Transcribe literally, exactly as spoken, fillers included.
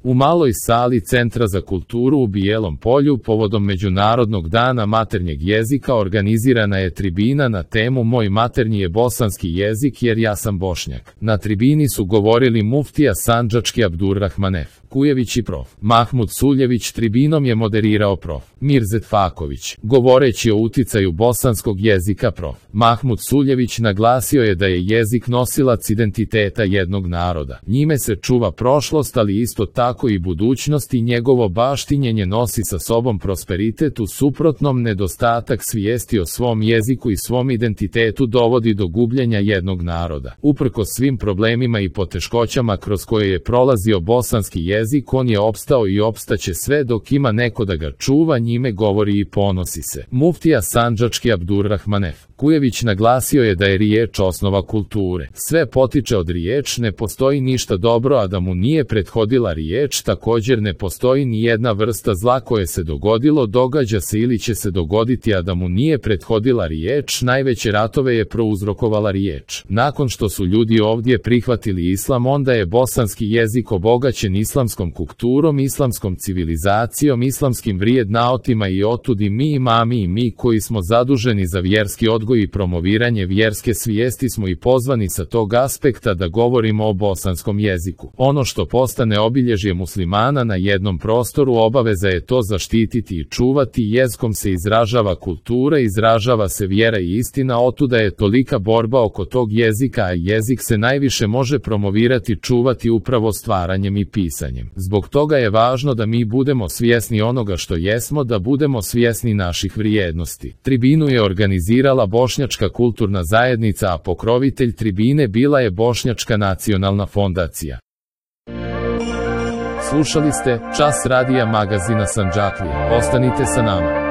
U maloj sali Centra za kulturu u Bijelom Polju povodom Međunarodnog dana maternjeg jezika organizirana je tribina na temu Moj maternji je bosanski jezik jer ja sam Bošnjak. Na tribini su govorili muftija sandžački Abdurrahmanef Kujević i prof. Mahmud Suljević. Tribinom je moderirao prof. Mirzet Faković. Govoreći o uticaju bosanskog jezika, prof. Mahmud Suljević naglasio je da je jezik nosilac identiteta jednog naroda. Njime se čuva prošlost, ali isto tako i budućnost, i njegovo baštinjenje nosi sa sobom prosperitet. U suprotnom, nedostatak svijesti o svom jeziku i svom identitetu dovodi do gubljenja jednog naroda. Uprkos svim problemima i poteškoćama kroz koje je prolazio bosanski jezik, on je opstao i opstaće sve dok ima neko da ga čuva, njime govori i ponosi se. Muftija sandžački Abdurrahmanef Kujević naglasio je da je riječ osnova kulture. Sve potiče od riječ, ne postoji ništa dobro, a da mu nije prethodila riječ. Također ne postoji ni jedna vrsta zla koje se dogodilo, događa se ili će se dogoditi, a da mu nije prethodila riječ. Najveće ratove je prouzrokovala riječ. Nakon što su ljudi ovdje prihvatili islam, onda je bosanski jezik obogaćen islamskom kulturom, islamskom civilizacijom, islamskim vrijednotima, i otud i mi imami i mi koji smo zaduženi za vjerski odgoj i promoviranje vjerske svijesti smo i pozvani sa tog aspekta da govorimo o bosanskom jeziku. Ono što postane obilježje muslimana na jednom prostoru, obaveza je to zaštititi i čuvati. Jezikom se izražava kultura, izražava se vjera i istina, otuda je tolika borba oko tog jezika, a jezik se najviše može promovirati, čuvati upravo stvaranjem i pisanjem. Zbog toga je važno da mi budemo svjesni onoga što jesmo, da budemo svjesni naših vrijednosti. Tribinu je organizirala Bošnjačka kulturna zajednica, a pokrovitelj tribine bila je Bošnjačka nacionalna fondacija. Slušali ste Čas radija magazina Sandžaklija. Ostanite sa nama.